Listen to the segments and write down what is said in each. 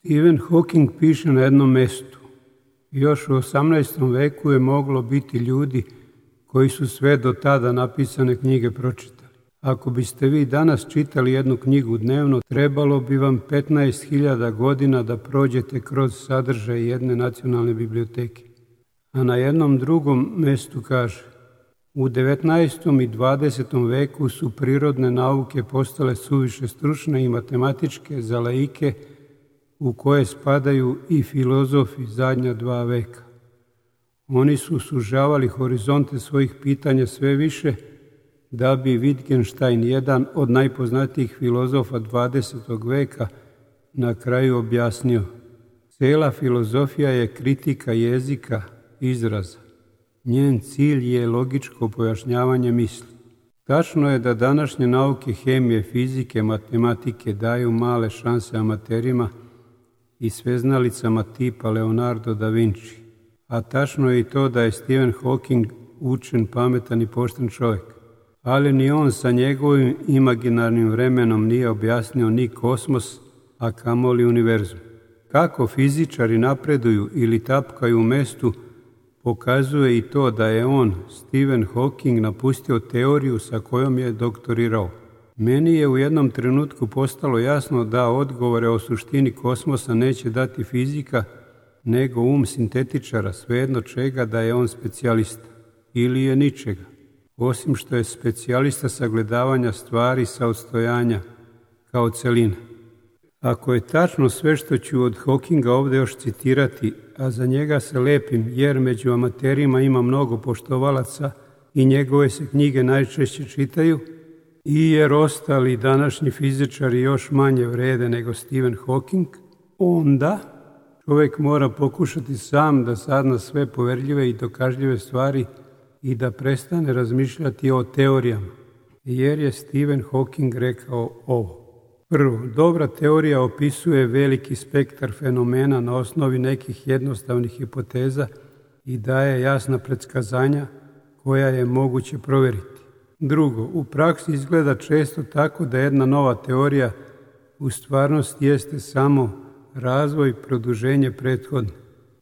Stephen Hawking piše na jednom mestu. Još u 18. veku je moglo biti ljudi koji su sve do tada napisane knjige pročitali. Ako biste vi danas čitali jednu knjigu dnevno, trebalo bi vam 15.000 godina da prođete kroz sadržaj jedne nacionalne biblioteke. A na jednom drugom mestu kaže: u 19. i 20. veku su prirodne nauke postale suviše stručne i matematičke za laike, u koje spadaju i filozofi zadnja 2 veka. Oni su sužavali horizonte svojih pitanja sve više, da bi Wittgenstein, jedan od najpoznatijih filozofa 20. veka, na kraju objasnio: cijela filozofija je kritika jezika, izraza. Njen cilj je logičko pojašnjavanje misli. Tačno je da današnje nauke hemije, fizike, matematike daju male šanse amaterima i sveznalicama tipa Leonardo da Vinci. A tačno je i to da je Stephen Hawking učen, pametan i pošten čovjek. Ali ni on sa njegovim imaginarnim vremenom nije objasnio ni kosmos, a kamoli univerzum. Kako fizičari napreduju ili tapkaju u mestu, pokazuje i to da je on, Stephen Hawking, napustio teoriju sa kojom je doktorirao. Meni je u jednom trenutku postalo jasno da odgovore o suštini kosmosa neće dati fizika, nego sintetičara, svejedno čega da je on specijalista. Ili je ničega, osim što je specijalista sagledavanja stvari sa odstojanja, kao celina. Ako je tačno sve što ću od Hawkinga ovdje još citirati, a za njega se lepim jer među amaterima ima mnogo poštovalaca i njegove se knjige najčešće čitaju, i jer ostali današnji fizičari još manje vrede nego Stephen Hawking, onda čovjek mora pokušati sam da sazna sve poverljive i dokažljive stvari i da prestane razmišljati o teorijama, jer je Stephen Hawking rekao ovo. Prvo, dobra teorija opisuje veliki spektar fenomena na osnovi nekih jednostavnih hipoteza i daje jasna predskazanja koja je moguće provjeriti. Drugo, u praksi izgleda često tako da jedna nova teorija u stvarnosti jeste samo razvoj i produženje prethodne.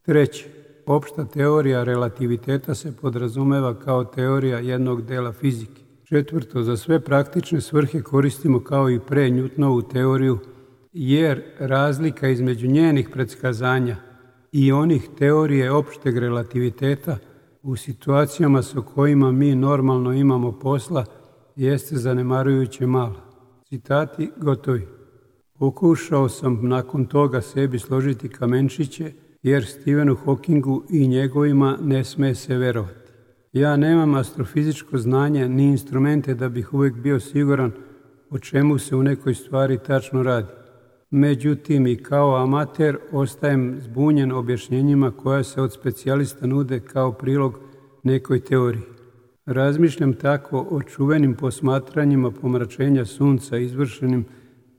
Treće, opšta teorija relativiteta se podrazumeva kao teorija jednog dela fizike. Četvrto, za sve praktične svrhe koristimo kao i pre Newtonovu teoriju, jer razlika između njenih predskazanja i onih teorije opšteg relativiteta u situacijama sa kojima mi normalno imamo posla jeste zanemarujuće mala. Citati gotovi. Pokušao sam nakon toga sebi složiti kamenčiće, jer Stephenu Hawkingu i njegovima ne sme se verovati. Ja nemam astrofizičko znanje ni instrumente da bih uvijek bio siguran o čemu se u nekoj stvari tačno radi. Međutim, i kao amater ostajem zbunjen objašnjenjima koja se od specijalista nude kao prilog nekoj teoriji. Razmišljam tako o čuvenim posmatranjima pomračenja sunca izvršenim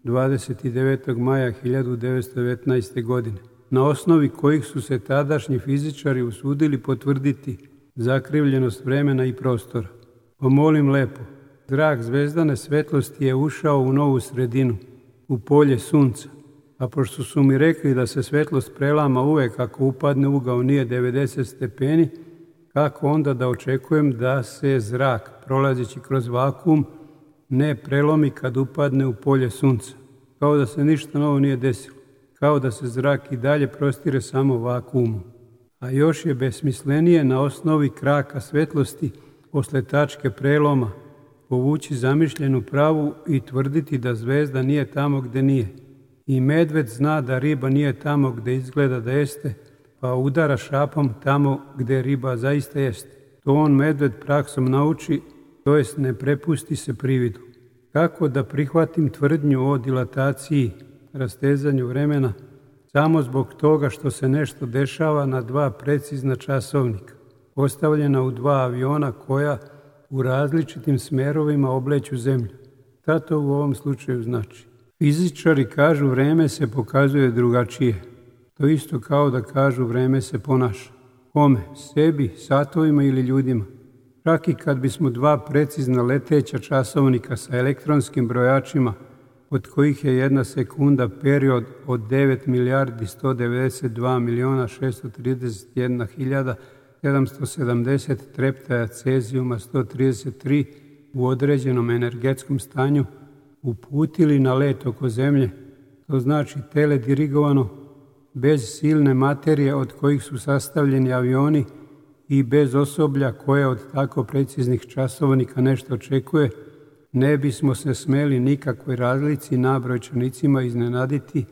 29. maja 1919. godine, na osnovi kojih su se tadašnji fizičari usudili potvrditi zakrivljenost vremena i prostora. Molim lepo, zrak zvezdane svetlosti je ušao u novu sredinu, u polje sunca, a pošto su mi rekli da se svetlost prelama uvek ako upadne ugao nije 90 stepeni, kako onda da očekujem da se zrak, prolazeći kroz vakuum, ne prelomi kad upadne u polje sunca? Kao da se ništa novo nije desilo, kao da se zrak i dalje prostire samo vakuumom. A još je besmislenije na osnovi kraka svetlosti posle tačke preloma povući zamišljenu pravu i tvrditi da zvezda nije tamo gde nije. I medved zna da riba nije tamo gde izgleda da jeste, pa udara šapom tamo gde riba zaista jeste. To on medved praksom nauči, to jest ne prepusti se prividu. Kako da prihvatim tvrdnju o dilataciji, rastezanju vremena, samo zbog toga što se nešto dešava na 2 precizna časovnika, postavljena u 2 aviona koja u različitim smerovima obleću zemlju? Šta to u ovom slučaju znači? Fizičari kažu vreme se pokazuje drugačije. To isto kao da kažu vreme se ponaša. Kome? Sebi, satovima ili ljudima? Čak i kad bismo 2 precizna leteća časovnika sa elektronskim brojačima od kojih je 1 sekunda period od 9 milijardi 192 miliona 631 hiljada 770 treptaja cezijuma 133 u određenom energetskom stanju uputili na let oko Zemlje, to znači teledirigovano, bez silne materije od kojih su sastavljeni avioni i bez osoblja koje od tako preciznih časovnika nešto očekuje, ne bismo se smeli nikakvoj razlici na brojčanicima iznenaditi,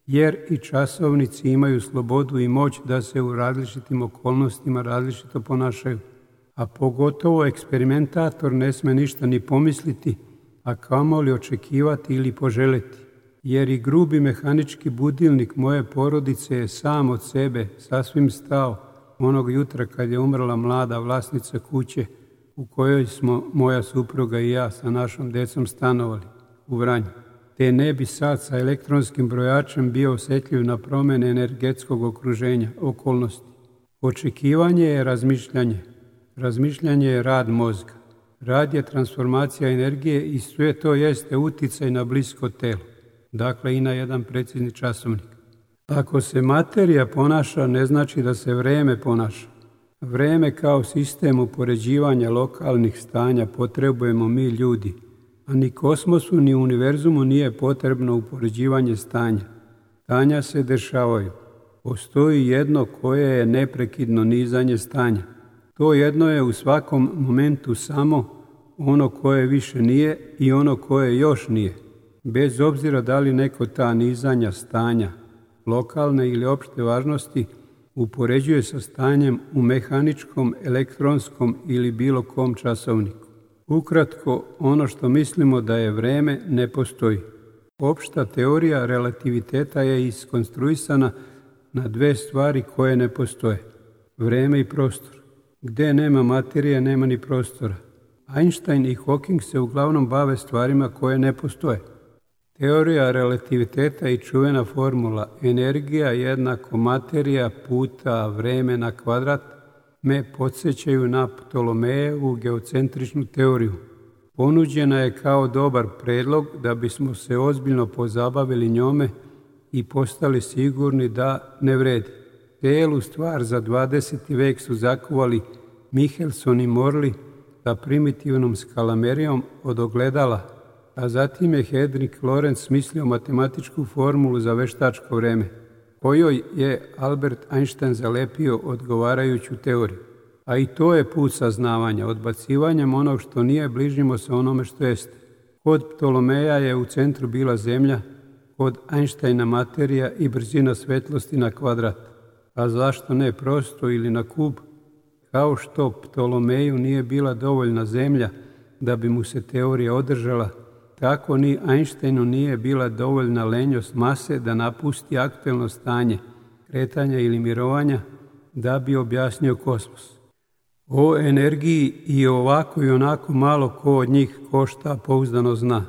jer i časovnici imaju slobodu i moć da se u različitim okolnostima različito ponašaju. A pogotovo eksperimentator ne sme ništa ni pomisliti, a kamoli očekivati ili poželeti, jer i grubi mehanički budilnik moje porodice je sam od sebe sasvim stao onog jutra kad je umrla mlada vlasnica kuće u kojoj smo moja supruga i ja sa našom decom stanovali u Vranju. Te ne bi sad sa elektronskim brojačem bio osjetljiv na promjene energetskog okruženja, okolnosti. Očekivanje je razmišljanje. Razmišljanje je rad mozga. Rad je transformacija energije i sve to jeste uticaj na blisko telo. Dakle, i na jedan precizni časovnik. Ako se materija ponaša, ne znači da se vreme ponaša. Vreme kao sistem upoređivanja lokalnih stanja potrebujemo mi ljudi, a ni kosmosu ni univerzumu nije potrebno upoređivanje stanja. Stanja se dešavaju. Postoji jedno koje je neprekidno nizanje stanja. To jedno je u svakom momentu samo ono koje više nije i ono koje još nije. Bez obzira da li neko ta nizanja stanja, lokalne ili opšte važnosti, upoređuje sa stanjem u mehaničkom, elektronskom ili bilo kom časovniku. Ukratko, ono što mislimo da je vreme ne postoji. Opšta teorija relativiteta je iskonstruisana na dve stvari koje ne postoje. Vreme i prostor. Gde nema materije, nema ni prostora. Einstein i Hawking se uglavnom bave stvarima koje ne postoje. Teorija relativiteta i čuvena formula energija jednako materija puta vreme na kvadrat me podsjećaju na Ptolomejevu geocentričnu teoriju. Ponuđena je kao dobar predlog da bismo se ozbiljno pozabavili njome i postali sigurni da ne vredi. Celu stvar za 20. vek su zakuvali Michelson i Morley sa primitivnom skalamerijom od ogledala, a zatim je Henrik Lorentz smislio matematičku formulu za veštačko vreme, kojoj je Albert Einstein zalepio odgovarajuću teoriju. A i to je put saznavanja, odbacivanjem onog što nije, bližimo se onome što jeste. Kod Ptolomeja je u centru bila Zemlja, kod Einsteina materija i brzina svetlosti na kvadrat. A zašto ne prosto ili na kub? Kao što Ptolomeju nije bila dovoljna Zemlja da bi mu se teorija održala, tako ni Einsteinu nije bila dovoljna lenjost mase da napusti aktuelno stanje, kretanja ili mirovanja, da bi objasnio kosmos. O energiji i ovako i onako malo ko od njih košta pouzdano zna,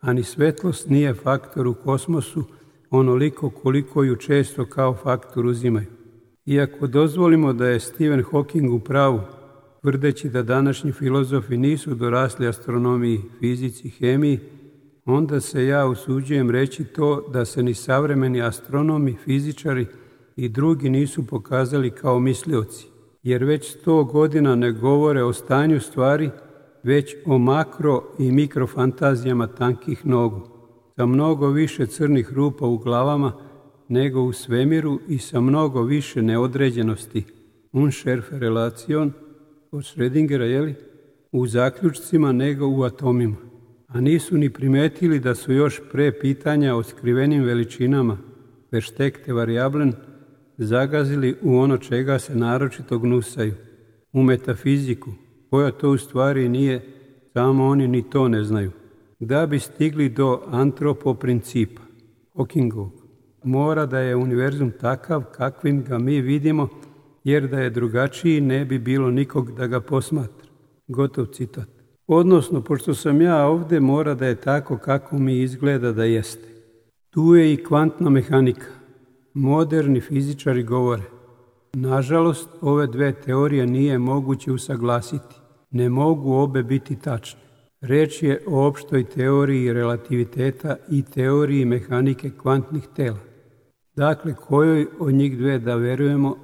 a ni svetlost nije faktor u kosmosu onoliko koliko ju često kao faktor uzimaju. Iako dozvolimo da je Stephen Hawking u pravu, tvrdeći da današnji filozofi nisu dorasli astronomiji, fizici, hemiji, onda se ja usuđujem reći to da se ni savremeni astronomi, fizičari i drugi nisu pokazali kao mislioci, jer već 100 godina ne govore o stanju stvari, već o makro i mikrofantazijama tankih nogu, sa mnogo više crnih rupa u glavama nego u svemiru i sa mnogo više neodređenosti, unschärfe relation, od Schrödingera, u zaključcima nego u atomima. A nisu ni primetili da su još pre pitanja o skrivenim veličinama, versteckte variablen, zagazili u ono čega se naročito gnusaju, u metafiziku, koja to u stvari nije, samo oni ni to ne znaju. Da bi stigli do antropoprincipa, Hawkingovog, mora da je univerzum takav kakvim ga mi vidimo, jer da je drugačiji ne bi bilo nikog da ga posmatra. Gotov citat. Odnosno, pošto sam ja ovde, mora da je tako kako mi izgleda da jeste. Tu je i kvantna mehanika. Moderni fizičari govore. Nažalost, ove dve teorije nije moguće usaglasiti. Ne mogu obe biti tačne. Reč je o opštoj teoriji relativiteta i teoriji mehanike kvantnih tela. Dakle, kojoj od njih dve da verujemo,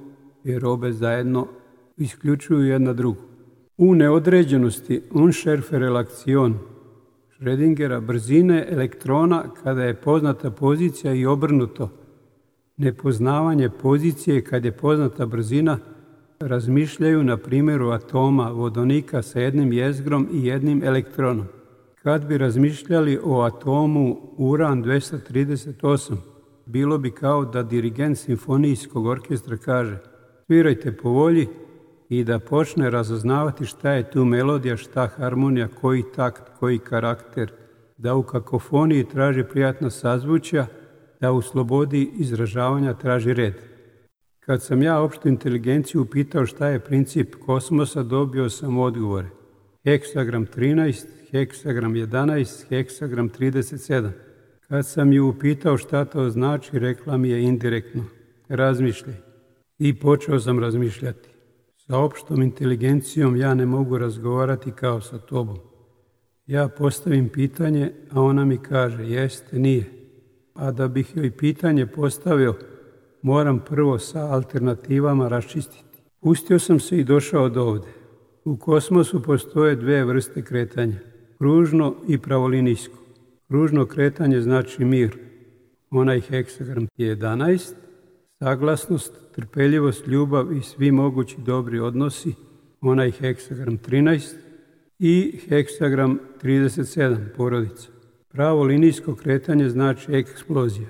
jer obe zajedno isključuju jedna drugu. U neodređenosti unschärfe Relation Schrödingera brzine elektrona kada je poznata pozicija i obrnuto, nepoznavanje pozicije kad je poznata brzina, razmišljaju na primjeru atoma vodonika sa jednim jezgrom i jednim elektronom. Kad bi razmišljali o atomu uran 238, bilo bi kao da dirigent simfonijskog orkestra kaže svirajte po volji i da počne razaznavati šta je tu melodija, šta harmonija, koji takt, koji karakter, da u kakofoniji traži prijatna sazvučja, da u slobodi izražavanja traži red. Kad sam ja opštu inteligenciju upitao šta je princip kosmosa, dobio sam odgovore. Heksagram 13, heksagram 11, heksagram 37. Kad sam ju upitao šta to znači, rekla mi je indirektno, razmišljaj. I počeo sam razmišljati. Sa opštom inteligencijom ja ne mogu razgovarati kao sa tobom. Ja postavim pitanje, a ona mi kaže, jeste, nije. A da bih joj pitanje postavio, moram prvo sa alternativama raščistiti. Pustio sam se i došao do ovde. U kosmosu postoje dve vrste kretanja, kružno i pravolinijsko. Kružno kretanje znači mir, onaj heksagram 11, saglasnost, trpeljivost, ljubav i svi mogući dobri odnosi, onaj heksagram 13 i heksagram 37, porodica. Pravo linijsko kretanje znači eksplozija,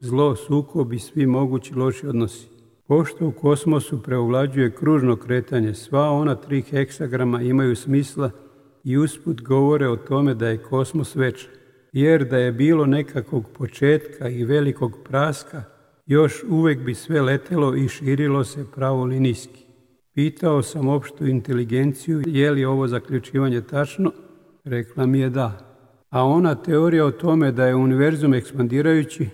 zlo, sukob i svi mogući loši odnosi. Pošto u kosmosu preovlađuje kružno kretanje, sva ona 3 heksagrama imaju smisla i usput govore o tome da je kosmos večan. Jer da je bilo nekakvog početka i velikog praska, još uvek bi sve letelo i širilo se pravolinijski. Pitao sam opštu inteligenciju je li ovo zaključivanje tačno, rekla mi je da. A ona teorija o tome da je univerzum ekspandirajući,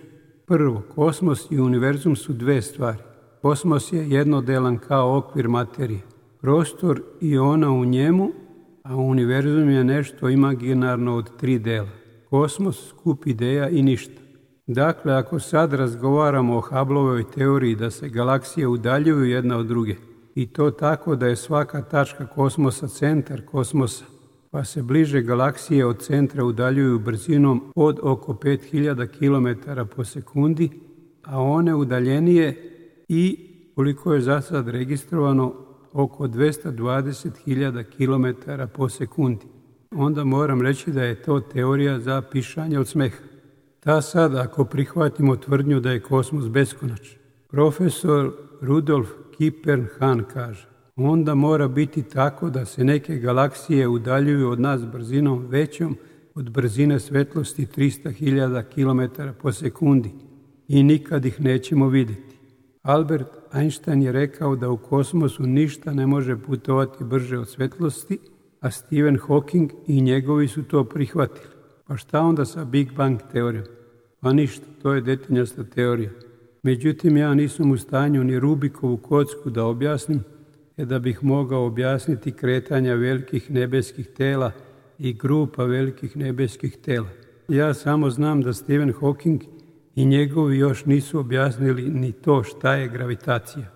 prvo, kosmos i univerzum su dve stvari. Kosmos je jednodelan kao okvir materije, prostor i ona u njemu, a univerzum je nešto imaginarno od 3 dela. Kosmos, skup ideja i ništa. Dakle, ako sad razgovaramo o Hubbleovoj teoriji da se galaksije udaljuju jedna od druge, i to tako da je svaka tačka kosmosa centar kosmosa, pa se bliže galaksije od centra udaljuju brzinom od oko 5000 km po sekundi, a one udaljenije i, koliko je za sad registrovano, oko 220.000 km po sekundi. Onda moram reći da je to teorija za pišanje od smeha. Ta sad, ako prihvatimo tvrdnju da je kosmos beskonačan, profesor Rudolf Kipern-Hahn kaže, onda mora biti tako da se neke galaksije udaljuju od nas brzinom većom od brzine svetlosti 300.000 km po sekundi i nikad ih nećemo vidjeti. Albert Einstein je rekao da u kosmosu ništa ne može putovati brže od svetlosti, a Stephen Hawking i njegovi su to prihvatili. Pa šta onda sa Big Bang teorijom? Pa ništa, to je detinjasta teorija. Međutim, ja nisam u stanju ni Rubikovu kocku da objasnim, da bih mogao objasniti kretanja velikih nebeskih tela i grupa velikih nebeskih tela. Ja samo znam da Stephen Hawking i njegovi još nisu objasnili ni to šta je gravitacija.